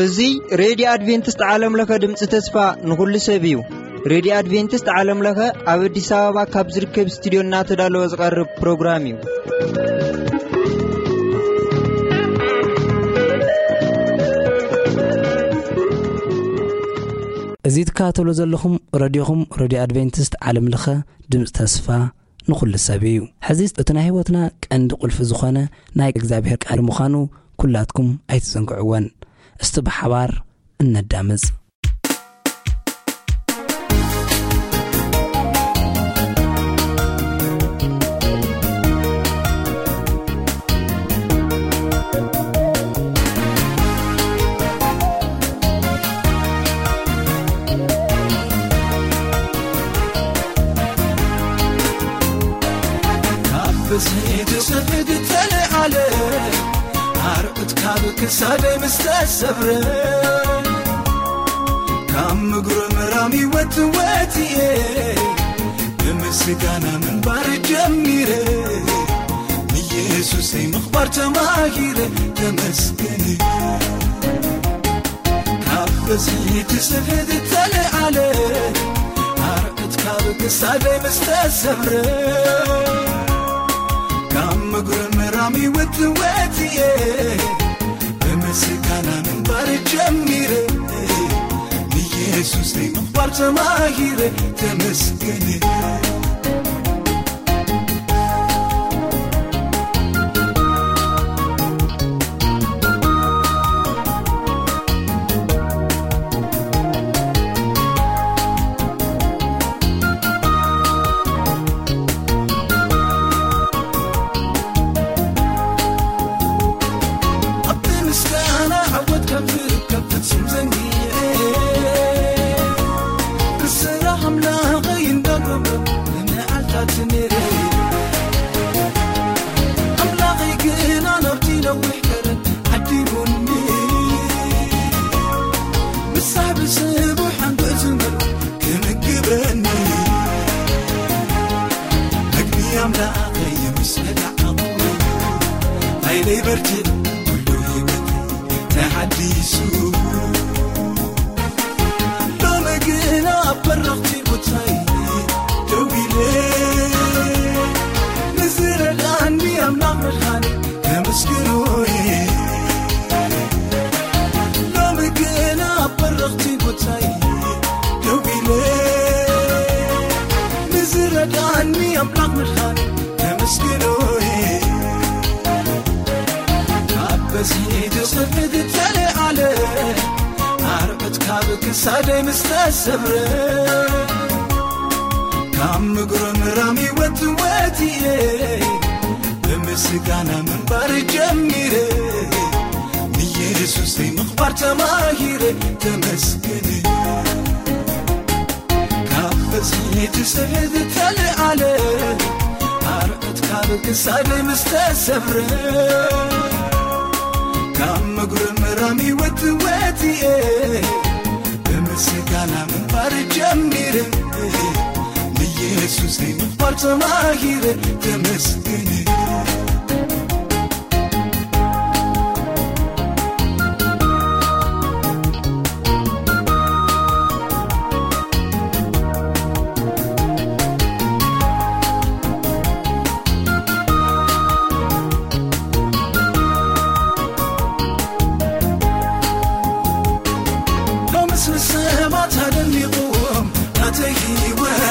እዚ ሬድዮ ኣድቬንቲስት ዓለም ለኸ ድምፂ ተስፋ ንኹሉ ሰብ እዩ። ሬድዮ ኣድቬንቲስት ዓለም ለኸ ኣብ ኣዲስ ኣበባ ካብ ዝርከብ ስቱዲዮ እናተዳለወ ዝቐርብ ፕሮግራም እዩ። እዚ ትከታተሉ ዘለኹም ረድዮኹም፣ ረድዮ ኣድቬንቲስት ዓለም ለኸ ድምፂ ተስፋ ንኹሉ ሰብ እዩ። ሕዚ እቲ ናይ ህይወትና ቀንዲ ቁልፊ ዝኾነ ናይ እግዚኣብሔር ቃል ምዃኑ ኩላትኩም ኣይትዘንግዕወን። እስቲ ብሓባር እነዳምፅ። ካብ ብዝሒ ትስሕት ተለዓለ፣ ኣርዑት ካብ ክሳደይ ምስ ተሰብረ፣ ካብ ምጉርምራም ህይወት ወፂኤ፣ ብምስጋና ምንባር ጀሚረ፣ ንየሱሰይ ምኽባር ተማሂረ፣ ተመስገን። ካብ በዝሒ ትስሕት ተለዓለ፣ ኣርዑት ካብ ክሳደይ ምስ ተሰብረ፣ ካብ ምጉርምራም ህይወት ወፂኤ፣ ብምስጋና ምንባር ጀሚረ፣ ንየሱሰይ ምኽባር ተማሂረ፣ ተመስገን። ኣብቲ ምስጋና ዓወት ከም ዝርከብ ፍጹም ዘንጊዐ፣ ብስራሕ ኣምላኸይ እንዳገብረ ንመዓልታት ነይረ። ኣምላኸይ ግና ናብቲ ነዊሕ ከረን ዓዲጉኒ፣ ምሳሕ ብስቡሕ ሓንጎ ዝመልኦ ክምግበኒ፣ መግቢ ኣምላኸይ ምስ በላዕኹ፣ ሓይለይ በርቲዑ፣ ኩሉ ህይወት ተሓዲሱ። ሎሚ ግና ኣብ በረኽቲ ቦታይ ደው ኢለ፣ ንዝረዳእኒ ኣምላኽ ምድሓኒ ከመስግኖ እየ። ሎሚ ግና ኣብ በረኽቲ ቦታይ ደው ኢለ፣ ንዝረዳእኒ ኣምላኽ ምድሓኒ ከመስግኖ እየ። ካብ በዝሒ ትስሕት ተለዓለ፣ ኣርዑት ካብ ክሳደይ ምስ ተሰብረ፣ ካብ ምጉርምራም ህይወት ወፂኤ፣ ብምስጋና ምንባር ጀሚረ፣ ንየሱሰይ ምኽባር ተማሂረ፣ ተመስገን። ካብ በዝሒ ትስሕት ተለዓለ፣ ኣርዑት ካብ ክሳደይ ምስ ተሰብረ፣ ካብ ምጉርምራም ህይወት ወፂኤ፣ ብምስጋና ምንባር ጀሚረ፣ ንየሱሰይ ምኽባር ተማሂረ፣ ተመስገን። ሎምስ ንሰባት ኣደኒቑዎም ናተይ ህይወት፣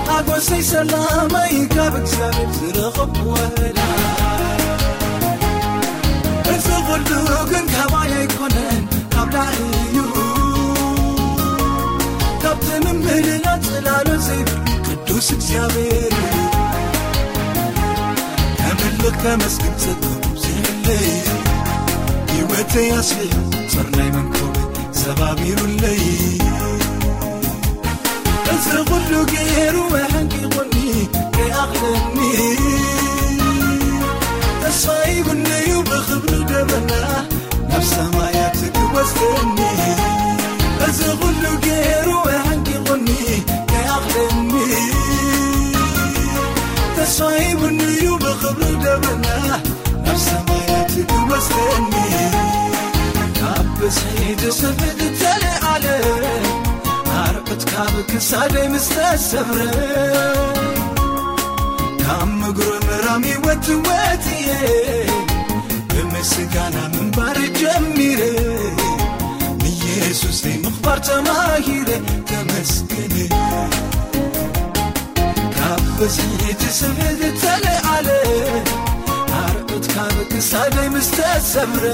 ሓጎሰይ ሰላመይ ካብ እግዚኣብሔር ዝረኸብኩ ወረዳ። እዚ ኹሉ ግን ካባይ ኣይኮነን፣ ካብ ላዕሊ እዩ። ካብ ትምምልና ጽላሎ ዘይብሉ ቅዱስ እግዚኣብሔር እዩ። ከምልኽ ከመስግን ጸጥታ ዘይብለይ፣ ህይወተይ ኣስሊሑ ጸርናይ መንኮበይ ሰባቢሩለይ። እዚ ኹሉ ገይሩ ኣሕንቂቑኒ ከይኣኽለኒ፣ ተስፋ ሂቡኒ እዩ ብኽብሪ ደበና ናብ ሰማያት ክወስደኒ። እዚ ኹሉ ገይሩ ኣሕንቂቑኒ ከይኣኽለኒ፣ ካብ ብዝሒ ትስሕት ተለዓለ፣ ኣርዑት ካብ ክሳደይ ምስ ተሰብረ፣ ካብ ምጉርምራም ይወት ወት እየ፣ ብምስጋና ምንባር ጀሚረ፣ ንየሱሰይ ምኽባር ተማሂረ፣ ተመስገን። ካብ ብዝሒ ትስሕት ተለዓለ፣ ኣርዑት ካብ ክሳደይ ምስ ተሰብረ፣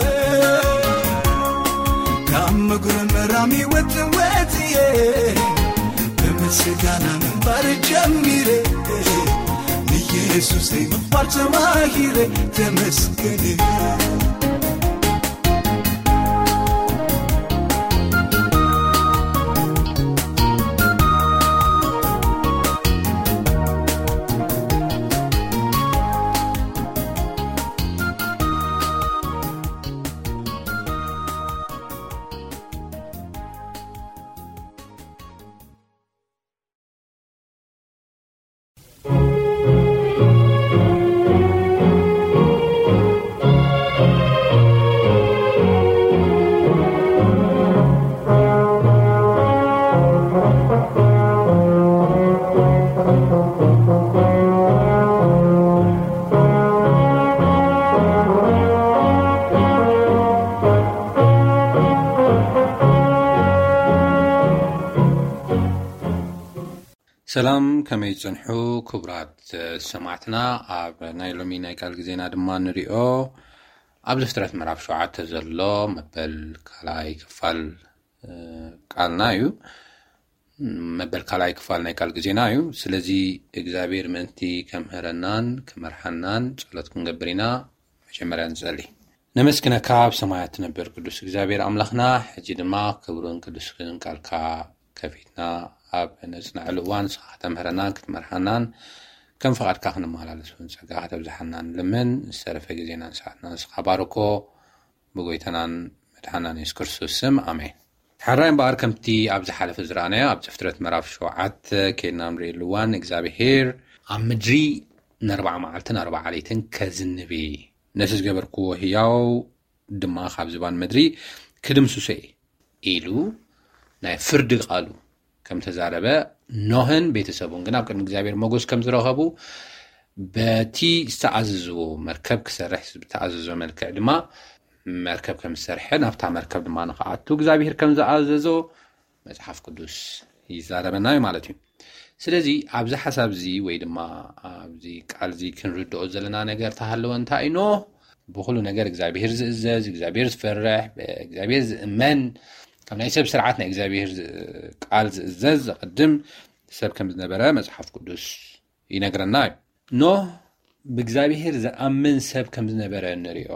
ካብ ምጉርምራም ይወት ወት እየ፣ ብምስጋና ምንባር ጀሚረ፣ ንየሱሰይ ምኽባር ተማሂረ፣ ተመስገን። ሰላም፣ ከመይ ጽንሑ ክቡራት ሰማዕትና? ኣብ ናይ ሎሚ ናይ ቃል ግዜና ድማ ንሪኦ ኣብ ዘፍጥረት ምዕራፍ ሸውዓተ ዘሎ መበል ካልኣይ ክፋል፣ እ፣ ቃልና እዩ። መበል ካልኣይ ክፋል ናይ ቃል ግዜና እዩ። ስለዚ እግዚኣብሔር ምእንቲ ከምህረናን ክመርሓናን ጸሎት ክንገብር ኢና። መጀመርያ ንጸሊ። ነመስግነካ ኣብ ሰማያት ትነብር ቅዱስ እግዚኣብሔር ኣምላኽና፣ ሕጂ ድማ ክብርን ቅዱስን ቃልካ ከፊትና ኣብ ነጽንዐሉ እዋን ንስኻ ከተምህረናን ክትመርሓናን ከም ፍቓድካ ክንመላለስ እውን ጸጋ ከተብዝሓና ንልምን። ዝተረፈ ግዜናን ሰዓትና ንስኻ ባርኮ፣ ብጎይታናን መድሓናን የሱስ ክርስቶስ ስም፣ ኣሜን። ሕራይ እምበኣር ከምቲ ኣብ ዝሓለፈ ዝረኣናዮ ኣብ ዘፍጥረት ምዕራፍ ሸውዓተ ከይድና ንርእየሉ እዋን እግዚኣብሔር ኣብ ምድሪ ንኣርባዓ መዓልትን ኣርባዓ ለይትን ከዝንብ እዩ። ነቲ ዝገበርክዎ ህያው ድማ ካብ ዝባን ምድሪ ክድምስሶ እየ ኢሉ ናይ ፍርዲ ቃሉ ከም ተዛረበ፣ ኖህን ቤተሰቡን ግን ኣብ ቅድሚ እግዚኣብሔር ሞገስ ከም ዝረኸቡ፣ በቲ ዝተኣዘዝዎ መርከብ ክሰርሕ ዝተኣዘዞ መልክዕ ድማ መርከብ ከም ዝሰርሐ፣ ናብታ መርከብ ድማ ንኽኣቱ እግዚኣብሔር ከም ዝኣዘዞ መጽሓፍ ቅዱስ ይዛረበና እዩ ማለት እዩ። ስለዚ ኣብዚ ሓሳብ እዚ ወይ ድማ ኣብዚ ቃል እዚ ክንርድኦ ዘለና ነገር ተሃለወ እንታይ እዩ? ኖህ ብኹሉ ነገር እግዚኣብሔር ዝእዘዝ፣ እግዚኣብሔር ዝፈርሕ፣ ብእግዚኣብሔር ዝእመን፣ ካብ ናይ ሰብ ስርዓት ናይ እግዚኣብሔር ዝ-፣ ቃል ዝእዘዝ ዘቐድም ሰብ ከም ዝነበረ መጽሓፍ ቅዱስ ይነግረና እዩ። ኖህ ብእግዚኣብሔር ዝኣምን ሰብ ከም ዝነበረ እንሪኦ፣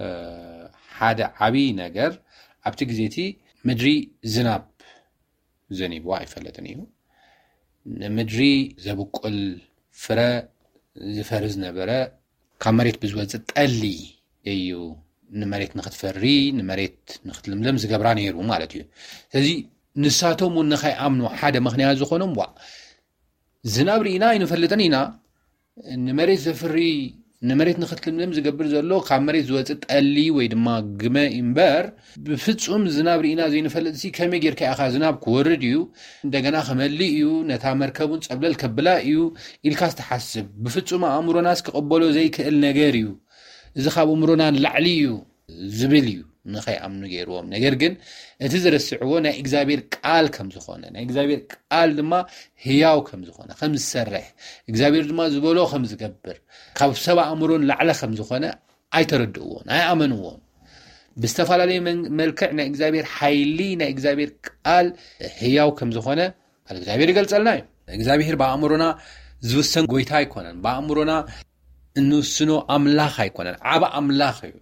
እ፣ ሓደ ዓብዪ ነገር ኣብቲ ግዜ እቲ ምድሪ ዝናብ ዘኒብዋ ኣይፈለጥን እዩ። ንምድሪ ዘብቁል ፍረ ዝፈሪ ዝነበረ ካብ መሬት ብዝወፅእ ጠሊ እዩ ንመሬት ንክትፈሪ፣ ንመሬት ንክትልምለም ዝገብራ ነይሩ ማለት እዩ። ስለዚ ንሳቶም እውን ንኸይኣምኑ ሓደ ምኽንያት ዝኾኖም፣ ዋ፣ ዝናብ ርኢና ኣይንፈልጥን ኢና፣ ንመሬት ዘፍሪ፣ ንመሬት ንክትልምልም ዝገብር ዘሎ ካብ መሬት ዝወፅእ ጠሊ ወይ ድማ ግመ እምበር፣ ብፍፁም ዝናብ ርኢና ዘይንፈልጥ ሲ ከመይ ጌርካ ኢኻ ዝናብ ክወርድ እዩ፣ እንደገና ክመልእ እዩ፣ ነታ መርከቡን ጸብለል ከብላ እዩ ኢልካ ዝተሓስብ፣ ብፍፁም ኣእምሮናስ ክቕበሎ ዘይክእል ነገር እዩ፣ እዚ ካብ ኣእምሮና ንላዕሊ እዩ ዝብል እዩ ንኸይኣምኑ ገይርዎም። ነገር ግን እቲ ዝረስዕዎ ናይ እግዚኣብሔር ቃል ከም ዝኾነ፣ ናይ እግዚኣብሔር ቃል ድማ ህያው ከም ዝኾነ፣ ከም ዝሰርሕ፣ እግዚኣብሔር ድማ ዝበሎ ከም ዝገብር፣ ካብ ሰብ ኣእምሮ ንላዕሊ ከም ዝኾነ ኣይተረድእዎን፣ ኣይኣመንዎን። ብዝተፈላለየ መን-፣ መልክዕ ናይ እግዚኣብሔር ሓይሊ፣ ናይ እግዚኣብሔር ቃል ህያው ከም ዝኾነ ቃል እግዚኣብሔር ይገልጸልና እዩ። እግዚኣብሔር ብኣእምሮና ዝውሰን ጎይታ ኣይኮነን። ብኣእምሮና እንውስኖ ኣምላኽ ኣይኮነን። ዓቢ ኣምላኽ እዩ።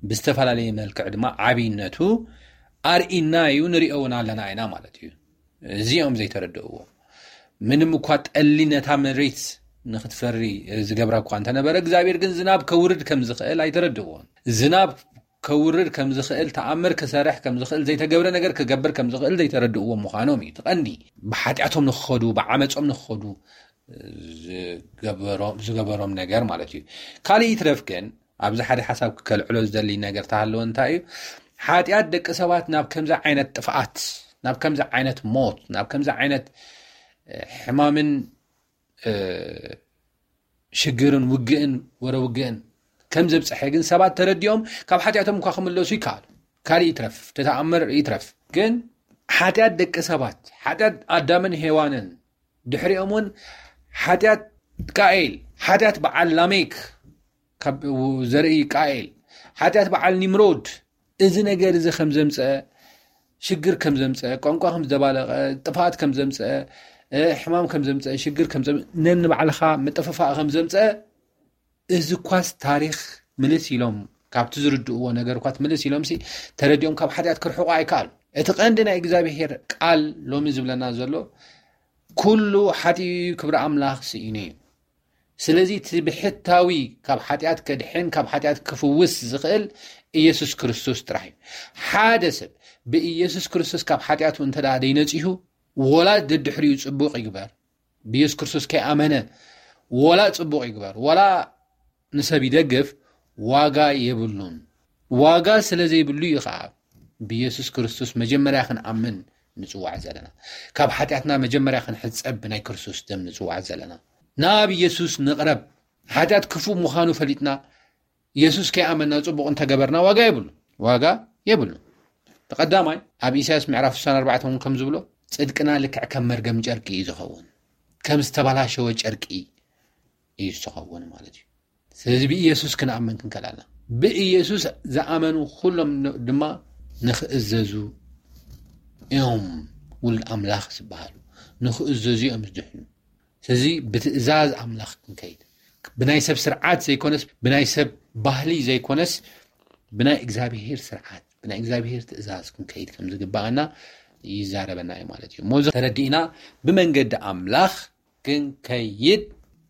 ብዝተፈላለየ መልክዕ ድማ ዓብይነቱ ኣርኢና እዩ፣ ንሪኦ እውን ኣለና ኢና ማለት እዩ። እዚኦም ዘይተረድእዎ፣ ምንም እኳ ጠሊ ነታ መሬት ንክትፈሪ ዝገብራ እኳ እንተነበረ፣ እግዚኣብሔር ግን ዝናብ ከውርድ ከም ዝኽእል ኣይተረድእዎን። ዝናብ ከውርድ ከም ዝኽእል፣ ተኣምር ክሰርሕ ከም ዝኽእል፣ ዘይተገብረ ነገር ክገብር ከም ዝኽእል ዘይተረድእዎም ምዃኖም እዩ እቲ ቀንዲ። ብሓጢኣቶም ንክኸዱ፣ ብዓመጾም ንክኸዱ ዝገበሮም፣ ዝገበሮም ነገር ማለት እዩ። ካልእ ይትረፍ ግን፣ ኣብዚ ሓደ ሓሳብ ከልዕሎ ዝደሊ ነገር ተሃለወ እንታይ እዩ? ሓጢኣት ደቂ ሰባት ናብ ከምዚ ዓይነት ጥፍኣት፣ ናብ ከምዚ ዓይነት ሞት፣ ናብ ከምዚ ዓይነት ሕማምን ሽግርን ውግእን ወረ ውግእን ከም ዘብፀሐ ግን ሰባት ተረዲኦም ካብ ሓጢኣቶም እኳ ክምለሱ ይከኣሉ። ካልእ ይትረፍ፣ ተተኣምር ይትረፍ። ግን ሓጢኣት ደቂ ሰባት፣ ሓጢኣት ኣዳምን ሄዋንን፣ ድሕሪኦም እውን ሓጢኣት ቃኤል፣ ሓጢኣት በዓል ላሜክ፣ ካብ ዘርኢ ቃኤል፣ ሓጢኣት በዓል ኒምሮድ፣ እዚ ነገር እዚ ከም ዘምፀአ፣ ሽግር ከም ዘምፀአ፣ ቋንቋ ከም ዘባለቐ፣ ጥፍኣት ከም ዘምፀአ፣ ሕማም ከም ዘምፀአ፣ ሽግር ከም ዘምፀአ፣ ነንባዕልኻ ምጥፍፋእ ከም ዘምፀአ፣ እዚ ኳስ ታሪኽ ምልስ ኢሎም ካብቲ ዝርድእዎ ነገር ኳስ ምልስ ኢሎም ሲ ተረዲኦም ካብ ሓጢኣት ክርሕቑ ኣይከኣሉ። እቲ ቀንዲ ናይ እግዚኣብሔር ቃል ሎሚ ዝብለና ዘሎ ኩሉ ሓጢኡ ክብሪ ኣምላኽ ስኢኑ እዩ። ስለዚ እቲ ብሕታዊ ካብ ሓጢኣት ከድሕን ካብ ሓጢኣት ክፍውስ ዝኽእል ኢየሱስ ክርስቶስ ጥራሕ እዩ። ሓደ ሰብ ብኢየሱስ ክርስቶስ ካብ ሓጢኣቱ እንተ ደኣ ደይነጺሁ፣ ወላ ደድሕሪኡ ጽቡቕ ይግበር፣ ብኢየሱስ ክርስቶስ ከይኣመነ ወላ ጽቡቕ ይግበር፣ ወላ ንሰብ ይደግፍ፣ ዋጋ የብሉን። ዋጋ ስለ ዘይብሉ እዩ ኸዓ ብኢየሱስ ክርስቶስ መጀመርያ ክንኣምን ንጽዋዕ ዘለና። ካብ ሓጢኣትና መጀመርያ ክንሕጸብ ብናይ ክርስቶስ ደም ንጽዋዕ ዘለና። ናብ ኢየሱስ ንቕረብ። ሓጢኣት ክፉእ ምዃኑ ፈሊጥና፣ ኢየሱስ ከይኣመንና ጽቡቕ እንተገበርና ዋጋ የብሉ። ዋጋ የብሉ። ብቐዳማይ ኣብ ኢሳያስ ምዕራፍ ስሳን ኣርባዕተን እውን ከም ዝብሎ፣ ጽድቅና ልክዕ ከም መርገም ጨርቂ እዩ ዝኸውን፣ ከም ዝተበላሸወ ጨርቂ እዩ ዝኸውን ማለት እዩ። ስለዚ ብኢየሱስ ክንኣምን ክንከላልና፣ ብኢየሱስ ዝኣመኑ ኩሎም ድማ ንኽእዘዙ እዮም ውሉድ ኣምላኽ ዝበሃሉ፣ ንኽእዘዙ እዮም ዝድሕኑ። ስለዚ ብትእዛዝ ኣምላኽ ክንከይድ፣ ብናይ ሰብ ስርዓት ዘይኮነስ፣ ብናይ ሰብ ባህሊ ዘይኮነስ፣ ብናይ እግዚኣብሄር ስርዓት፣ ብናይ እግዚኣብሄር ትእዛዝ ክንከይድ ከም ዝግባኣና ይዛረበና እዩ ማለት እዩ። እሞ እዚ ተረዲእና ብመንገዲ ኣምላኽ ክንከይድ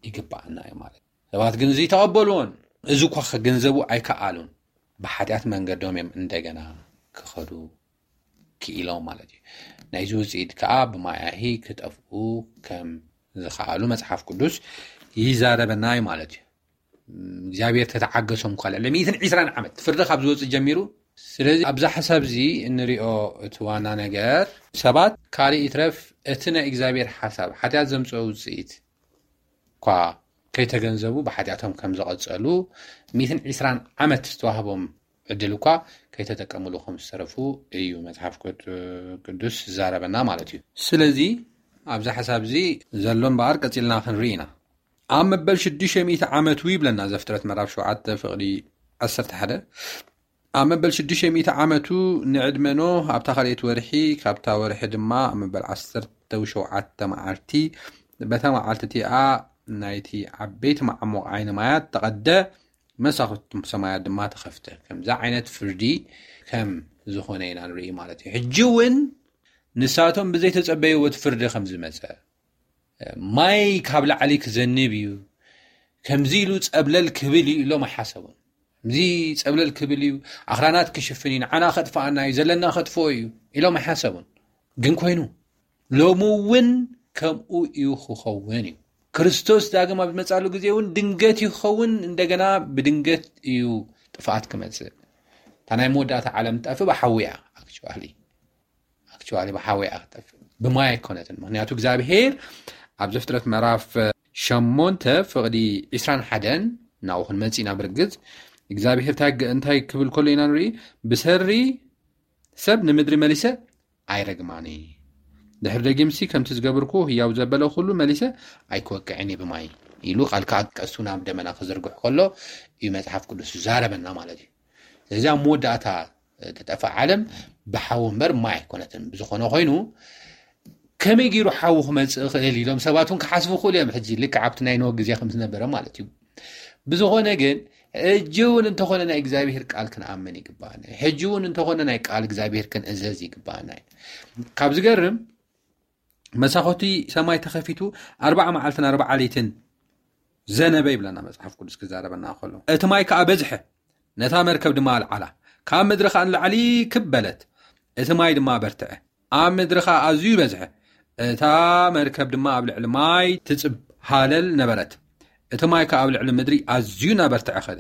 ይግባኣና እዩ ማለት እዩ። ሰባት ግን እዚ ተቐበልዎን፣ እዚ እኳ ክግንዘቡ ኣይከኣሉን። ብሓጢኣት መንገዶም እዮም እንደገና ክኸዱ ክኢሎም ማለት እዩ። ናይዚ ውፅኢት ከዓ ብማያሂ ክጠፍኡ ከም ዝኸኣሉ መጽሓፍ ቅዱስ ይዛረበና እዩ ማለት እዩ። እግዚኣብሔር ተተዓገሶም እኳ ልዕሊ ሚእትን ዕስራን ዓመት ፍርዲ ካብ ዝወፅእ ጀሚሩ። ስለዚ ኣብዛ ሓሳብ እዚ እንሪኦ እቲ ዋና ነገር ሰባት ካልእ ይትረፍ እቲ ናይ እግዚኣብሔር ሓሳብ ሓጢኣት ዘምፅኦ ውፅኢት እኳ ከይተገንዘቡ ብሓጢኣቶም ከም ዝቐጸሉ ሚእትን ዕስራን ዓመት ዝተዋህቦም ዕድል እኳ ከይተጠቀምሉ ከም ዝተረፉ እዩ መጽሓፍ ቅዱስ ዝዛረበና ማለት እዩ። ስለዚ ኣብዚ ሓሳብ እዚ ዘሎ እምበኣር ቀጺልና ክንርኢ ኢና። ኣብ መበል ሽዱሽተ ሚእቲ ዓመቱ ይብለና ዘፍጥረት ምዕራፍ ሸውዓተ ፍቕዲ ዓሰርተ ሓደ። ኣብ መበል ሽዱሽተ ሚእቲ ዓመቱ ንዕድመ ኖህ ኣብታ ካልኣይቲ ወርሒ፣ ካብታ ወርሒ ድማ ኣብ መበል ዓሰርተ ሸውዓተ መዓልቲ በታ መዓልቲ እቲኣ ናይቲ ዓበይቲ መዓሙቕ ዓይኒ ማያት ተቐደ፣ መሳኹቲ ሰማያት ድማ ተኸፍተ። ከምዚ ዓይነት ፍርዲ ከም ዝኾነ ኢና ንርኢ ማለት እዩ። ሕጂ እውን ንሳቶም ብዘይተጸበይዎ እቲ ፍርዲ ከም ዝመጸ፣ ማይ ካብ ላዕሊ ክዘንብ እዩ፣ ከምዚ ኢሉ ጸብለል ክብል እዩ ኢሎም ኣይሓሰቡን። ከምዚ ጸብለል ክብል እዩ፣ ኣኽራናት ክሽፍን እዩ፣ ንዓና ከጥፍኣና እዩ፣ ዘለና ከጥፍኦ እዩ ኢሎም ኣይሓሰቡን። ግን ኮይኑ፣ ሎሚ እውን ከምኡ እዩ ክኸውን እዩ። ክርስቶስ ዳግም ኣብ ዝመጻሉ ግዜ እውን ድንገት እዩ ክኸውን፣ እንደገና ብድንገት እዩ ጥፍኣት ክመጽእ። እታ ናይ መወዳእታ ዓለም ትጠፍእ ብሓዊ እያ። ኣክቹዋሊ ኣክቹዋሊ ብሓዊ እያ ክትጠፍእ፣ ብማይ ኣይኮነትን። ምክንያቱ እግዚኣብሄር ኣብ ዘፍጥረት ምዕራፍ ሸሞንተ ፍቕዲ ዕስራን ሓደን ናብኡ ክንመጽእ ኢና። ብርግጽ እግዚኣብሄር እንታይ ገ- እንታይ ክብል ከሎ ኢና ንርኢ? ብሰሪ ሰብ ንምድሪ መሊሰ ኣይረግማኒ። ድሕሪ ደጊምሲ ከምቲ ዝገብርኩ ህያው ዘበለ ኩሉ መሊሰ ኣይክወቅዕን እየ ብማይ ኢሉ ቃል ከዓ ቀሱ ናብ ደመና ክዝርግሕ ከሎ እዩ መጽሓፍ ቅዱስ ዝዛረበና ማለት እዩ። ስለዚ ኣብ መወዳእታ ትጠፍእ ዓለም ብሓዊ እምበር ማይ ኣይኮነትን። ብዝኾነ ኮይኑ ከመይ ገይሩ ሓዊ ክመፅእ ይኽእል ኢሎም ሰባት እውን ክሓስቡ ይኽእሉ እዮም። ሕጂ ልክዕ ኣብቲ ናይ ኖህ ግዜ ከም ዝነበረ ማለት እዩ። ብዝኾነ ግን ሕጂ እውን እንተኾነ ናይ እግዚኣብሔር ቃል ክንኣምን ይግባኣና እዩ። ሕጂ እውን እንተኾነ ናይ ቃል እግዚኣብሔር ክንእዘዝ ይግባኣና እዩ። ካብ ዝገርም መሳኹቲ ሰማይ ተኸፊቱ ኣርባዓ መዓልትን ኣርባዓ ለይትን ዘነበ ይብለና መጽሓፍ ቅዱስ ክዛረበና ከሎ። እቲ ማይ ከኣ በዝሐ፣ ነታ መርከብ ድማ ኣልዓላ። ካብ ምድሪ ከኣ ንላዕሊ ክብ በለት፣ እቲ ማይ ድማ በርትዐ። ኣብ ምድሪ ከኣ ኣዝዩ በዝሐ፣ እታ መርከብ ድማ ኣብ ልዕሊ ማይ ትጽብ ሃለል ነበረት። እቲ ማይ ከኣ ኣብ ልዕሊ ምድሪ ኣዝዩ እናበርትዐ ኸደ።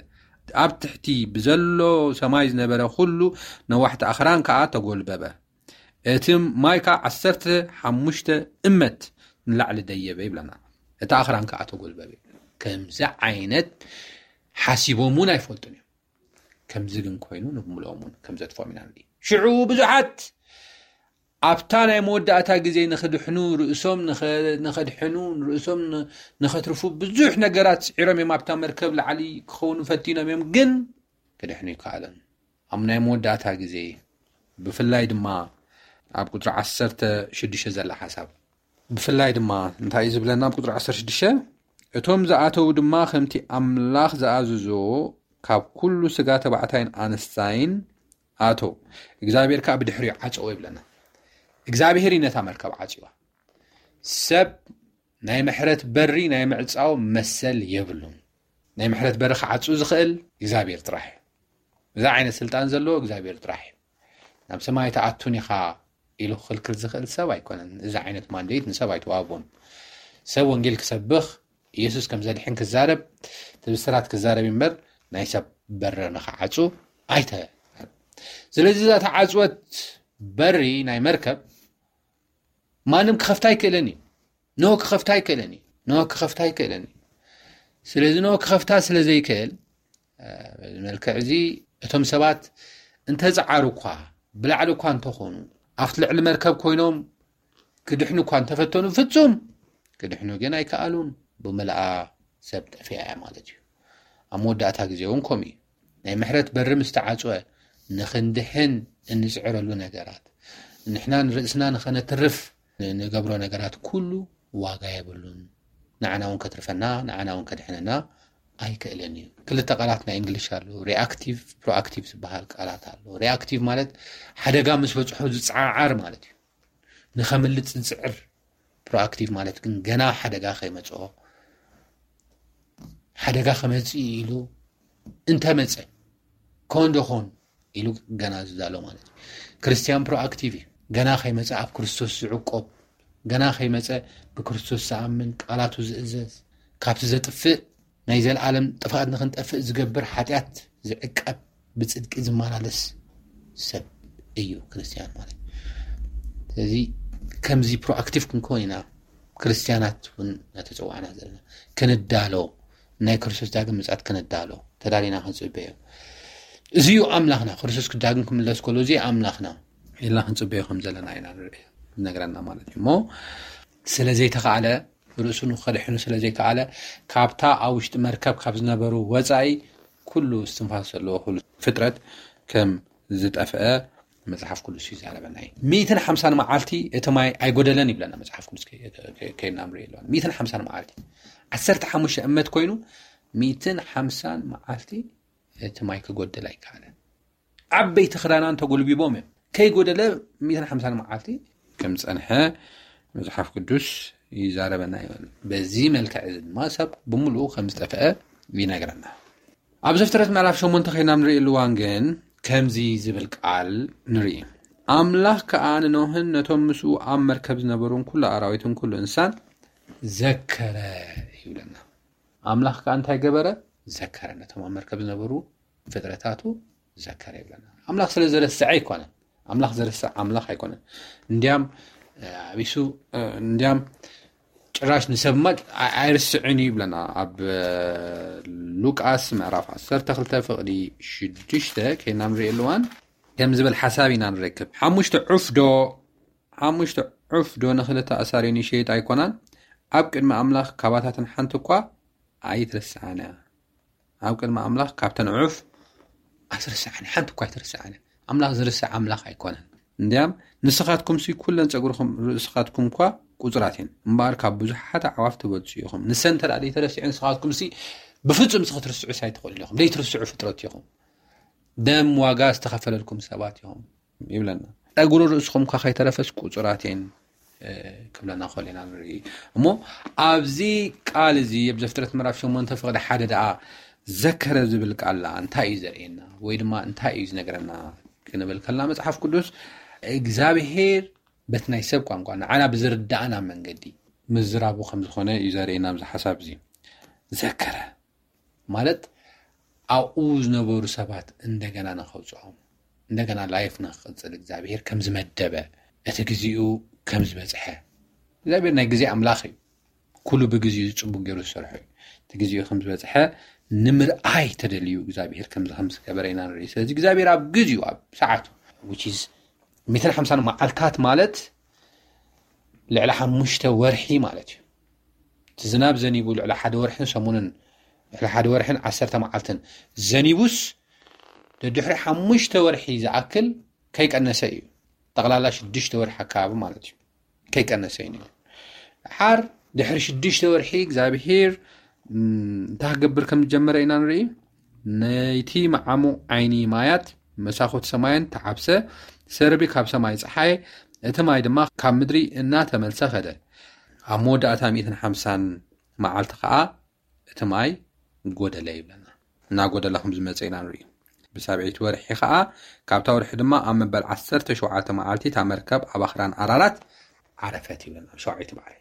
ኣብ ትሕቲ ብዘሎ ሰማይ ዝነበረ ኩሉ ነዋሕቲ ኣኽራን ከኣ ተጎልበበ። እቲ ማይ ከኣ ዓሰርተ ሓሙሽተ እመት ንላዕሊ ደየበ ይብለና። እቲ ኣኽራን ከኣ ተጎልበበ። ከምዚ ዓይነት ሓሲቦም እውን ኣይፈልጡን እዮም። ከምዚ ግን ኮይኑ ንብምልኦም እውን ከም ዘጥፍኦም ኢና ንርኢ። ሽዑ ብዙሓት ኣብታ ናይ መወዳእታ ግዜ ንኽድሕኑ ርእሶም ንኸ-፣ ንኸድሕኑ ርእሶም ን-፣ ንኸትርፉ ብዙሕ ነገራት ስዒሮም እዮም። ኣብታ መርከብ ላዕሊ ክኸውን ፈቲኖም እዮም፣ ግን ክድሕኑ ይከኣለን። ኣብ ናይ መወዳእታ ግዜ ብፍላይ ድማ ኣብ ቁጽሪ ዓሰርተ ሽዱሽተ ዘላ ሓሳብ ብፍላይ ድማ እንታይ እዩ ዝብለና? ኣብ ቁጽሪ ዓሰርተ ሽዱሽተ፣ "እቶም ዝኣተዉ ድማ ከምቲ ኣምላኽ ዝኣዘዞ ካብ ኩሉ ስጋ ተባዕታይን ኣንስታይን ኣተው፣ እግዚኣብሔር ከኣ ብድሕሪኡ ዓጸዎ" ይብለና። እግዚኣብሔር እዩ ነታ መርከብ ዓጽዋ። ሰብ ናይ ምሕረት በሪ ናይ ምዕጻው መሰል የብሉን። ናይ ምሕረት በሪ ክዓጹ ዝኽእል እግዚኣብሔር ጥራሕ እዩ። እዚ ዓይነት ስልጣን ዘለዎ እግዚኣብሔር ጥራሕ እዩ። "ናብ ሰማይ ኣይትኣቱን ኢኻ" ኢሉ ክኽልክል ዝኽእል ሰብ ኣይኮነን። እዚ ዓይነት ማንዴት ንሰብ ኣይተዋህቦን። ሰብ ወንጌል ክሰብኽ፣ ኢየሱስ ከም ዘድሕን ክዛረብ፣ እቲ ብስራት ክዛረብ እምበር ናይ ሰብ በሪ ንኽዓጹ ኣይተ-፣ ስለዚ እዛ ተዓጽወት በሪ ናይ መርከብ ማንም ክኸፍታ ኣይክእልን እዩ። ኖህ ክኸፍታ ኣይክእልን እዩ። ኖህ ክኸፍታ ኣይክእልን እዩ። ስለዚ ኖህ ክኸፍታ ስለ ዘይክእል፣ እ፣ በዚ መልክዕ እዚ እቶም ሰባት እንተጸዓሩ እኳ፣ ብላዕሊ እኳ እንተኾኑ፣ ኣብቲ ልዕሊ መርከብ ኮይኖም ክድሕኑ እኳ እንተፈተኑ፣ ፍጹም ክድሕኑ ግን ኣይከኣሉን። ብመልኣ ሰብ ጠፊኣ እያ ማለት እዩ። ኣብ መወዳእታ ግዜ እውን ከምኡ እዩ። ናይ ምሕረት በሪ ምስ ተዓጽወ፣ ንኽንድሕን እንጽዕረሉ ነገራት፣ ንሕና ንርእስና ንኸነትርፍ ንገብሮ ነገራት ኩሉ ዋጋ የብሉን። ንዓና እውን ከትርፈና፣ ንዓና እውን ከድሕነና ኣይክእልን እዩ። ክልተ ቃላት ናይ እንግሊሽ ኣሎ፣ ሪኣክቲቭ፣ ፕሮኣክቲቭ ዝበሃል ቃላት ኣሎ። ሪኣክቲቭ ማለት ሓደጋ ምስ በጽሖ ዝጸዓዓር ማለት እዩ። ንኸምልጥ ዝጽዕር። ፕሮኣክቲቭ ማለት ግን ገና ሓደጋ ከይመጽኦ፣ ሓደጋ ከመጽእ ኢሉ እንተመጸ፣ ኮን ዶ ኮን ኢሉ ገና ዝዛሎ ማለት እዩ። ክርስትያን ፕሮኣክቲቭ እዩ። ገና ከይመጸ ኣብ ክርስቶስ ዝዕቆብ፣ ገና ከይመጸ ብክርስቶስ ዝኣምን፣ ቃላቱ ዝእዘዝ፣ ካብቲ ዘጥፍእ ናይ ዘለኣለም ጥፍኣት ንኽንጠፍእ ዝገብር ሓጢኣት ዝዕቀብ ብጽድቂ ዝመላለስ ሰብ እዩ ክርስትያን ማለት። ስለዚ ከምዚ ፕሮኣክቲቭ ክንከውን ኢና። ክርስትያናት እውን እናተጸዋዕና ዘለና ክንዳሎ፣ ናይ ክርስቶስ ዳግም ምጽኣት ክንዳሎ ተዳሊና ክንጽበዮ። እዚ እዩ ኣምላኽና። ክርስቶስ ክዳግም ክምለስ ከሎ እዚ ኣምላኽና ኢልና ክንጽበዮ ከም ዘለና ኢና ንርኢ፣ ዝነግረና ማለት እዩ። እሞ ስለ ዘይተኻእለ፣ ርእሱ ንኸድሕኑ ስለ ዘይከኣለ፣ ካብታ ኣብ ውሽጢ መርከብ ካብ ዝነበሩ ወጻኢ ኩሉ እስትንፋስ ዘለዎ ኩሉ ፍጥረት ከም ዝጠፍአ መጽሓፍ ቅዱስ ይዛረበና እዩ። ሚእትን ሓምሳን መዓልቲ እቲ ማይ ኣይጎደለን ይብለና መጽሓፍ ቅዱስ። ከ-፣ ከ-፣ ከይድና ንርኢ ኣለና። ሚእትን ሓምሳን መዓልቲ፣ ዓሰርተ ሓሙሽተ እመት ኮይኑ፣ ሚእትን ሓምሳን መዓልቲ እቲ ማይ ክጎድል ኣይከኣለን። ዓበይቲ ክዳናን ተጎልቢቦም እዮም። ከይጎደለ ሚእትን ሓምሳን መዓልቲ ከም ዝጸንሐ መጽሓፍ ቅዱስ ይዛረበና እዩ። በዚ መልክዕ እዚ ድማ ሰብ ብምሉኡ ከም ዝጠፍአ ይነግረና። ኣብ ዘፍጥረት ምዕራፍ ሸሞንተ ከይና ንርእየሉ እዋን ግን ከምዚ ዝብል ቃል ንርኢ። "ኣምላኽ ከኣ ንኖህን ነቶም ምስኡ ኣብ መርከብ ዝነበሩን ኩሉ ኣራዊትን ኩሉ እንስሳን ዘከረ" ይብለና። ኣምላኽ ከኣ እንታይ ገበረ? ዘከረ። ነቶም ኣብ መርከብ ዝነበሩ ፍጥረታቱ ዘከረ ይብለና። ኣምላኽ ስለ ዝረስዐ ኣይኮነን። ኣምላኽ ዝረስዕ ኣምላኽ ኣይኮነን። እንዲያም፣ እ፣ ኣቢሱ፣ እ፣ እንዲያም ጭራሽ ንሰብማ ኣይ-፣ ኣይርስዕን እዩ ይብለና። ኣብ፣ እ፣ ሉቃስ ምዕራፍ ዓሰርተ ክልተ ፍቕዲ ሽዱሽተ ከይና ንርእየሉ እዋን ከም ዝብል ሓሳብ ኢና ንረክብ። "ሓሙሽተ ዑፍ ዶ፣ ሓሙሽተ ዑፍ ዶ ንኽልተ ኣሳሪን ይሸይጥ ኣይኮናን? ኣብ ቅድሚ ኣምላኽ ካባታተን ሓንቲ እኳ ኣይትርስዓን እያ።" ኣብ ቅድሚ ኣምላኽ ካብተን ዑፍ ኣይትርስዓን እያ፣ ሓንቲ እኳ ኣይትርስዓን እያ። ኣምላኽ ዝርስዕ ኣምላኽ ኣይኮነን። እንዲያም፣ "ንስኻትኩምሲ ኩለን ጸጉርኹም ርእስኻትኩም እኳ ቁጹራት እየን፣ እምበኣር ካብ ብዙሓት ኣዕዋፍ ትበልጹ ኢኹም። ንሰን እንተ ደኣ ዘይተረሲዑ፣ ንስኻትኩምሲ ብፍጹም እዚ ክትርስዑስ ኣይትኽእሉን ኢኹም። ዘይትርስዑ ፍጥረት ኢኹም። ደም ዋጋ ዝተኸፈለልኩም ሰባት ኢኹም" ይብለና። "ጸጉሪ ርእስኹም እኳ ከይተረፈስ ቁጹራት እየን" እ፣ ክብለና ከሎ ኢና ንርኢ። እሞ ኣብዚ ቃል እዚ፣ ኣብ ዘፍጥረት ምዕራፍ ሸሞንተ ፍቕዲ ሓደ ደኣ ዘከረ ዝብል ቃል ደኣ እንታይ እዩ ዘርእየና? ወይ ድማ እንታይ እዩ ዝነግረና? ክንብል ከለና መጽሓፍ ቅዱስ እግዚኣብሄር በቲ ናይ ሰብ ቋንቋ ንዓና ብዝርዳእና መንገዲ ምዝራቡ ከም ዝኾነ እዩ ዘርእየና ኣብዚ ሓሳብ እዚ። ዘከረ ማለት ኣብኡ ዝነበሩ ሰባት እንደገና ንኸውፅኦም፣ እንደገና ላይፍ ንክቕፅል እግዚኣብሔር ከም ዝመደበ፣ እቲ ግዜኡ ከም ዝበፅሐ። እግዚኣብሔር ናይ ግዜ ኣምላኽ እዩ። ኩሉ ብግዜኡ ጽቡቅ ገይሩ ዝሰርሖ እዩ። እቲ ግዜኡ ከም ዝበፅሐ ንምርኣይ ተደልዩ እግዚኣብሔር ከምዚ ከም ዝገበረ ኢና ንርኢ። ስለዚ እግዚኣብሔር ኣብ ግዜኡ፣ ኣብ ሰዓቱ፣ which is ሚእትን ሓምሳን መዓልታት ማለት ልዕሊ ሓሙሽተ ወርሒ ማለት እዩ። እቲ ዝናብ ዘኒቡ ልዕሊ ሓደ ወርሕን ሰሙንን፣ ልዕሊ ሓደ ወርሕን ዓሰርተ መዓልትን ዘኒቡስ፣ ደድሕሪ ሓሙሽተ ወርሒ ዝኣክል ከይቀነሰ እዩ። ጠቕላላ ሽዱሽተ ወርሒ ኣካባቢ ማለት እዩ። ከይቀነሰ እዩ ነይሩ። ሓር ድሕሪ ሽዱሽተ ወርሒ እግዚኣብሄር እንታይ ክገብር ከም ዝጀመረ ኢና ንርኢ። ነይቲ መዓሙቕ ዓይኒ ማያት መሳኹት ሰማየን ተዓብሰ፣ ሰርቢ ካብ ሰማይ ፀሓየ፣ እቲ ማይ ድማ ካብ ምድሪ እናተመልሰ ኸደ። ኣብ መወዳእታ ሚእትን ሓምሳን መዓልቲ ኸዓ እቲ ማይ ጎደለ ይብለና። እናጎደለ ከም ዝመፀ ኢና ንርኢ። ብሳብዒይቲ ወርሒ ኸዓ፣ ካብታ ወርሒ ድማ ኣብ መበል ዓሰርተ ሸውዓተ መዓልቲ እታ መርከብ ኣብ ኣኽራን ኣራራት ዓረፈት ይብለና። ኣብ ሸውዓይቲ ባሕሪ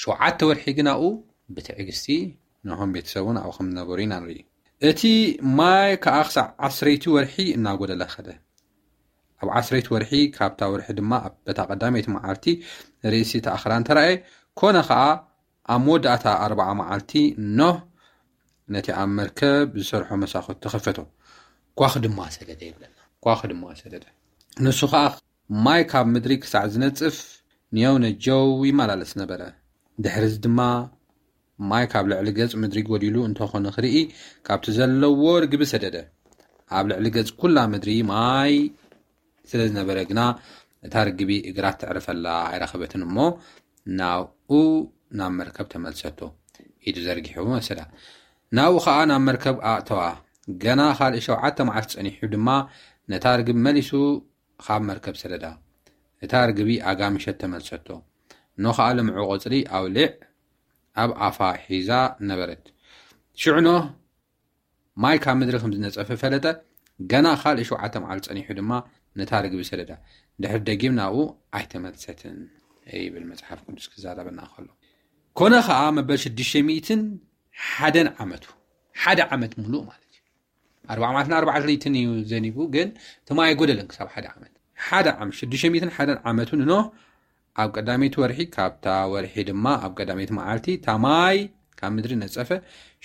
ሸውዓተ ወርሒ ግን ኣብኡ ብትዕግስቲ ንሆም ቤተሰቡን ኣብኡ ከም ዝነበሩ ኢና ንርኢ። እቲ ማይ ከዓ ክሳዕ ዓስረይቲ ወርሒ እናጎደለ ኸደ። ኣብ ዓስረይቲ ወርሒ ካብታ ወርሒ ድማ ኣብ በታ ቀዳመይቲ መዓልቲ ርእሲ እቲ ኣኽራን ተራእየ። ኮነ ኸዓ ኣብ መወዳእታ ኣርባዓ መዓልቲ ኖህ ነቲ ኣብ መርከብ ዝሰርሖ መሳኹት ተኸፈቶ። ኳኽ ድማ ሰደደ ይብለና። ኳኽ ድማ ሰደደ። ንሱ ኸዓ ማይ ካብ ምድሪ ክሳዕ ዝነጽፍ ንየው ነጀው ይመላለስ ነበረ። ድሕርዚ ድማ ማይ ካብ ልዕሊ ገጽ ምድሪ ጎዲሉ እንተኾነ ክርኢ ካብቲ ዘለዎ ርግቢ ሰደደ። ኣብ ልዕሊ ገጽ ኩላ ምድሪ ማይ ስለ ዝነበረ ግና እታ ርግቢ እግራ ተዕርፈላ ኣይረኸበትን እሞ ናብኡ ናብ መርከብ ተመልሰቶ። ኢዱ ዘርጊሑ ወሰዳ። ናብኡ ኸዓ ናብ መርከብ ኣእተዋ። ገና ካልእ ሸውዓተ መዓልቲ ጸኒሑ ድማ ነታ ርግቢ መሊሱ ካብ መርከብ ሰደዳ። እታ ርግቢ ኣጋምሸት ተመልሰቶ። ኖ ኸዓ ልምዑ ቆጽሊ ኣውሊዕ ኣብ ኣፋ ሒዛ ነበረት። ሽዑ ኖህ ማይ ካብ ምድሪ ከም ዝነጸፈ ፈለጠ። ገና ካልእ ሸውዓተ መዓልቲ ጸኒሑ ድማ ነታ ርግቢ ሰደዳ። ድሕሪ ደጊም ናብኡ ኣይተመልሰትን ይብል መጽሓፍ ቅዱስ ክዛረበና ከሎ። ኮነ ኸዓ መበል ሽዱሽተ ሚእትን ሓደን ዓመቱ፣ ሓደ ዓመት ሙሉእ ማለት እዩ። ኣርባዓ መዓልትን ኣርባዓ ለይትን እዩ ዘኒቡ፣ ግን እቲ ማይ ኣይጎደለን ክሳብ ሓደ ዓመት። ሓደ ዓመት፣ ሽዱሽተ ሚእትን ሓደን ዓመቱ ንኖህ ኣብ ቀዳመይቲ ወርሒ፣ ካብታ ወርሒ ድማ ኣብ ቀዳመይቲ መዓልቲ እታ ማይ ካብ ምድሪ ነጸፈ።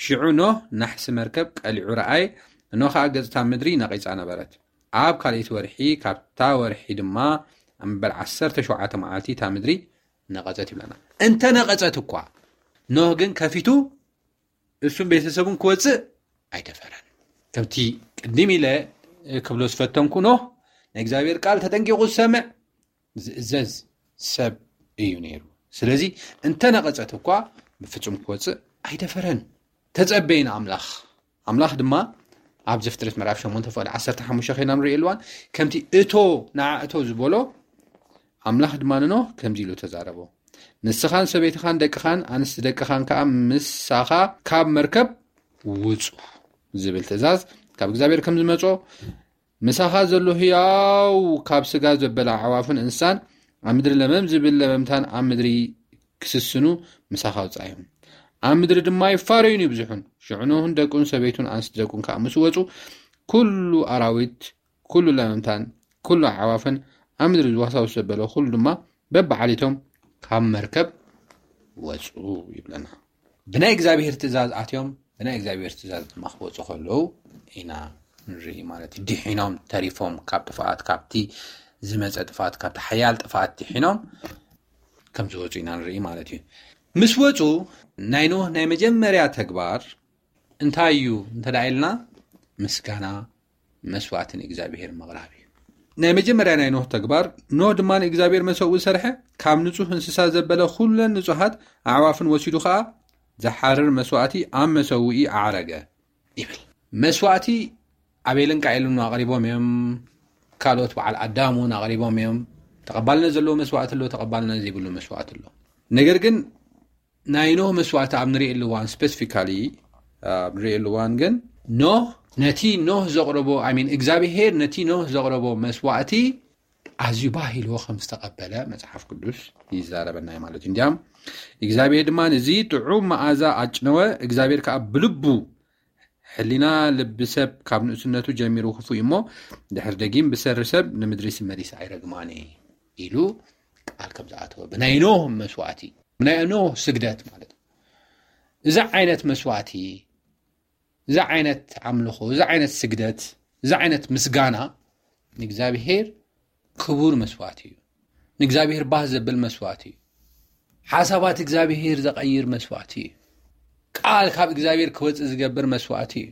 ሽዑ ኖህ ናሕሲ መርከብ ቀሊዑ ረኣየ። እኖ ኸዓ ገጽ እታ ምድሪ ነቒጻ ነበረት። ኣብ ካልኣይቲ ወርሒ፣ ካብታ ወርሒ ድማ ኣብ መበል ዓሰርተ ሸውዓተ መዓልቲ እታ ምድሪ ነቐጸት ይብለና። እንተ ነቐጸት እኳ፣ ኖህ ግን ከፊቱ እሱን ቤተሰቡን ክወጽእ ኣይደፈረን። ከምቲ ቅድም ኢለ ክብሎ ዝፈተንኩ፣ ኖህ ናይ እግዚኣብሔር ቃል ተጠንቂቑ ዝሰምዕ፣ ዝእዘዝ ሰብ እዩ ነይሩ። ስለዚ እንተ ነቐጸት እኳ ብፍጹም ክወጽእ ኣይደፈረን። ተጸበየ ንኣምላኽ። ኣምላኽ ድማ ኣብ ዘፍጥረት ምዕራፍ ሸሞንተ ፍቕዲ ዓሰርተ ሓሙሽተ ኸይና ንርእየሉ እዋን፣ ከምቲ እቶ ንዓ እቶ ዝበሎ፣ ኣምላኽ ድማ ንኖህ ከምዚ ኢሉ ተዛረቦ። ንስኻን ሰበይትኻን ደቅኻን ኣንስቲ ደቅኻን ከኣ ምሳኻ ካብ መርከብ ውጹ ዝብል ትእዛዝ ካብ እግዚኣብሔር ከም ዝመጾ፣ ምሳኻ ዘሎ ህያው ካብ ስጋ ዘበላ ኣዕዋፍን እንስሳን ኣብ ምድሪ ለመም ዝብል ለመምታን ኣብ ምድሪ ክስስኑ ምሳኻ ኣውጻዮም። ኣብ ምድሪ ድማ ይፋረዩን ይብዝሑን። ሽዑ ኖህን ደቁን ሰበይቱን ኣንስቲ ደቁን ከኣ ምስ ወጹ፣ ኩሉ ኣራዊት፣ ኩሉ ለመምታን፣ ኩሉ ኣዕዋፍን ኣብ ምድሪ ዝዋሳውስ ዘበለ ኩሉ ድማ በብዓሊቶም ካብ መርከብ ወጹ ይብለና። ብናይ እግዚኣብሔር ትእዛዝ ኣትዮም፣ ብናይ እግዚኣብሔር ትእዛዝ ድማ ክወጹ ከለዉ ኢና ንርኢ ማለት እዩ። ድሒኖም ተሪፎም ካብ ጥፍኣት፣ ካብቲ ዝመጸ ጥፍኣት፣ ካብቲ ሓያል ጥፍኣት ድሒኖም ከም ዝወጹ ኢና ንርኢ ማለት እዩ። ምስ ወጹ ናይ ኖህ ናይ መጀመርያ ተግባር እንታይ እዩ እንተ ደኣ ኢልና፣ ምስጋና መስዋእቲ ንእግዚኣብሔር ምቕራብ እዩ። ናይ መጀመርያ ናይ ኖህ ተግባር፣ ኖህ ድማ ንእግዚኣብሔር መሰውኢ ሰርሐ፣ ካብ ንጹህ እንስሳ ዘበለ ኩለን ንጹሃት ኣዕዋፍን ወሲዱ ኸኣ ዝሓርር መስዋእቲ ኣብ መሰውኢ ኣዕረገ ይብል። መስዋእቲ ኣቤልን ቃኤልን ኣቕሪቦም እዮም። ካልኦት በዓል ኣዳም እውን ኣቕሪቦም እዮም። ተቐባልነት ዘለዎ መስዋእቲ ኣሎ፣ ተቐባልነት ዘይብሉ መስዋእቲ ኣሎ። ነገር ግን ናይ ኖህ መስዋእቲ ኣብ ንርእየሉ እዋን፣ ስፔሲፊካሊ ኣብ ንርእየሉ እዋን ግን፣ ኖህ ነቲ ኖህ ዘቕረቦ፣ I mean፣ እግዚኣብሄር ነቲ ኖህ ዘቕረቦ መስዋእቲ ኣዝዩ ባህ ኢልዎ ከም ዝተቐበለ መጽሓፍ ቅዱስ ይዛረበና እዩ ማለት እዩ። እንዲያም እግዚኣብሄር ድማ ነዚ ጥዑም መኣዛ ኣጭነወ፣ እግዚኣብሄር ከኣ ብልቡ ሕሊና ልቢ ሰብ ካብ ንእስነቱ ጀሚሩ ክፉእ እዩ እሞ፣ ድሕር ደጊም ብሰሪ ሰብ ንምድሪ ስመሊስ ኣይረግማን ኢሉ ቃል ከም ዝኣተወ፣ ብናይ ኖህ መስዋእቲ፣ ብናይ ኖህ ስግደት ማለት እዩ። እዚ ዓይነት መስዋእቲ፣ እዚ ዓይነት ኣምልኾ፣ እዚ ዓይነት ስግደት፣ እዚ ዓይነት ምስጋና ንእግዚኣብሔር ክቡር መስዋእቲ እዩ። ንእግዚኣብሔር ባህ ዘብል መስዋእቲ እዩ። ሓሳባት እግዚኣብሔር ዘቐይር መስዋእቲ እዩ። ቃል ካብ እግዚኣብሔር ክወፅእ ዝገብር መስዋእቲ እዩ።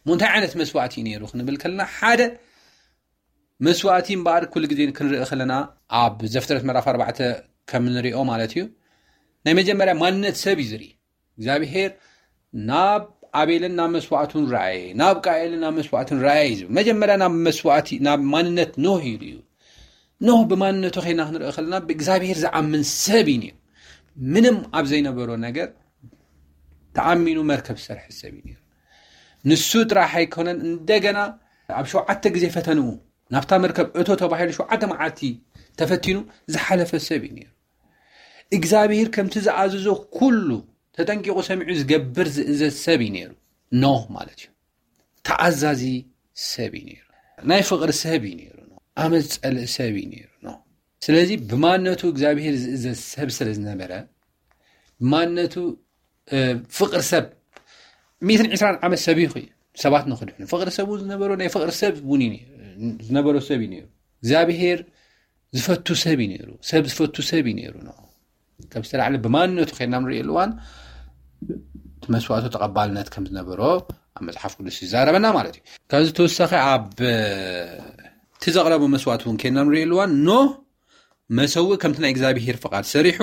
እሞ እንታይ ዓይነት መስዋእቲ እዩ ነይሩ ክንብል ከለና፣ ሓደ መስዋእቲ እምበኣር ኩሉ ግዜ ክንርኢ ከለና፣ ኣብ ዘፍጥረት ምዕራፍ ኣርባዕተ ከም ንሪኦ ማለት እዩ፣ ናይ መጀመርያ ማንነት ሰብ እዩ ዝርኢ። እግዚኣብሔር ናብ ኣቤልን ናብ መስዋእቱን ረኣየ፣ ናብ ቃኤልን ናብ መስዋእቱን ረኣየ እዩ ዝብል። መጀመርያ ናብ መስዋእቲ፣ ናብ ማንነት ኖህ እዩ ሪኡ። ኖህ ብማንነቱ ኸይና ክንርኢ ከለና ብእግዚኣብሔር ዝኣምን ሰብ እዩ ነይሩ። ምንም ኣብ ዘይነበሮ ነገር ተኣሚኑ መርከብ ዝሰርሐ ሰብ እዩ ነይሩ። ንሱ ጥራሕ ኣይኮነን፣ እንደገና ኣብ ሸውዓተ ግዜ ፈተንኡ፣ ናብታ መርከብ እቶ ተባሂሉ ሸውዓተ መዓልቲ ተፈቲኑ ዝሓለፈ ሰብ እዩ ነይሩ። እግዚኣብሔር ከምቲ ዝኣዘዞ ኩሉ ተጠንቂቑ ሰሚዑ ዝገብር ዝእዘዝ ሰብ እዩ ነይሩ። ኖህ ማለት እዩ። ተኣዛዚ ሰብ እዩ ነይሩ። ናይ ፍቕሪ ሰብ እዩ ነይሩ። ኖህ ኣመፅ ጸልእ ሰብ እዩ ነይሩ። ኖህ ስለዚ ብማንነቱ እግዚኣብሔር ዝእዘዝ ሰብ ስለ ዝነበረ፣ ብማንነቱ ፍቕሪ ሰብ፣ ሚእትን ዕስራን ዓመት ሰብ ይኹ ሰባት ንክድሕኑ ፍቕሪ ሰብ ዝነበሮ ናይ ፍቕሪ ሰብ እውን እዩ ነይሩ። ዝነበሮ ሰብ እዩ ነይሩ። እግዚኣብሔር ዝፈቱ ሰብ እዩ ነይሩ። ሰብ ዝፈቱ ሰብ እዩ ነይሩ። ኖህ ከም ዝተላዕለ ብማንነቱ ከይና ንሪኦ እዋን እቲ መስዋእቱ ተቐባልነት ከም ዝነበሮ ኣብ መፅሓፍ ቅዱስ ይዛረበና ማለት እዩ። ካብዚ ተወሳኺ ኣብ እቲ ዘቕረቦ መስዋእቲ እውን ከይና ንሪኦ እዋን ኖህ መሰውእ ከምቲ ናይ እግዚኣብሔር ፍቓድ ሰሪሑ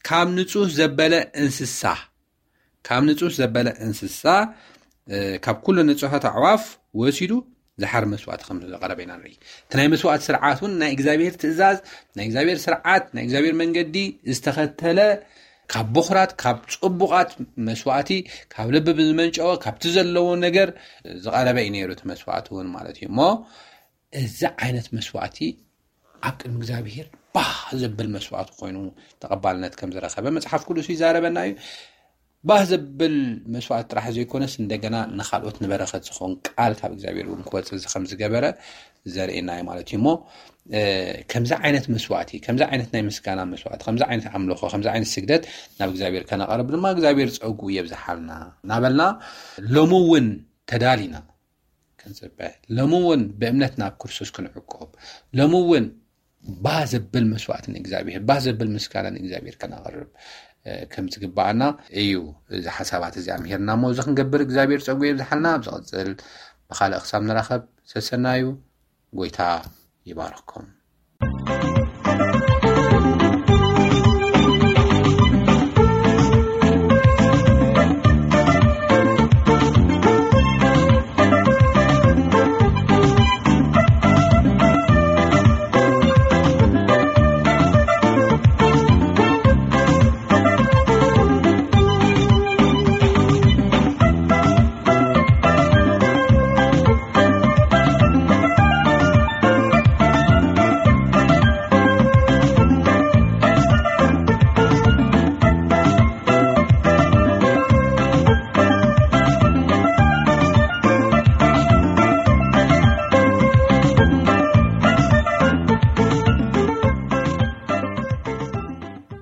ካብ ንጹህ ዘበለ እንስሳ ካብ ንጹህ ዘበለ እንስሳ ካብ ኩሉ ንጹሃት ኣዕዋፍ ወሲዱ ዝሓር መስዋእቲ ከም ዘቐረበ ኢና ንርኢ። እቲ ናይ መስዋእቲ ስርዓት እውን ናይ እግዚኣብሔር ትእዛዝ፣ ናይ እግዚኣብሔር ስርዓት፣ ናይ እግዚኣብሔር መንገዲ ዝተኸተለ፣ ካብ ብኹራት፣ ካብ ጽቡቓት መስዋእቲ፣ ካብ ልቢ ብዝመንጨወ ካብቲ ዘለዎ ነገር ዝቐረበ እዩ ነይሩ እቲ መስዋእቲ እውን ማለት እዩ። እሞ እዚ ዓይነት መስዋእቲ ኣብ ቅድሚ እግዚኣብሔር ባህ ዘብል መስዋእቲ ኮይኑ ተቐባልነት ከም ዝረኸበ መጽሓፍ ቅዱስ ይዛረበና እዩ። ባህ ዘብል መስዋእቲ ጥራሕ ዘይኮነስ እንደገና ንኻልኦት ንበረኸት ዝኸውን ቃል ካብ እግዚኣብሔር እውን ክወፅእ ከም ዝገበረ ዘርእየና እዩ ማለት እዩ። እሞ ከምዚ ዓይነት መስዋእቲ፣ ከምዚ ዓይነት ናይ ምስጋና መስዋእቲ፣ ከምዚ ዓይነት ኣምልኾ፣ ከምዚ ዓይነት ስግደት ናብ እግዚኣብሔር ከነቐርብ ድማ እግዚኣብሔር ፀጉ የብዝሓልና እናበልና ሎሚ እውን ተዳሊና ክንፅበ፣ ሎሚ እውን ብእምነት ናብ ክርስቶስ ክንዕቆብ፣ ሎሚ እውን ባህ ዘብል መስዋእቲ ንእግዚኣብሔር፣ ባህ ዘብል ምስጋና ንእግዚኣብሔር ከነቕርብ ከም ዝግባኣና እዩ። እዚ ሓሳባት እዚ ኣምሂርና እሞ እዚ ክንገብር እግዚኣብሔር ፀጉ የብዝሓልና። ኣብ ዝቕፅል ብኻልእ ክሳብ ንራኸብ ሰሰናዩ። ጎይታ ይባርኽኩም።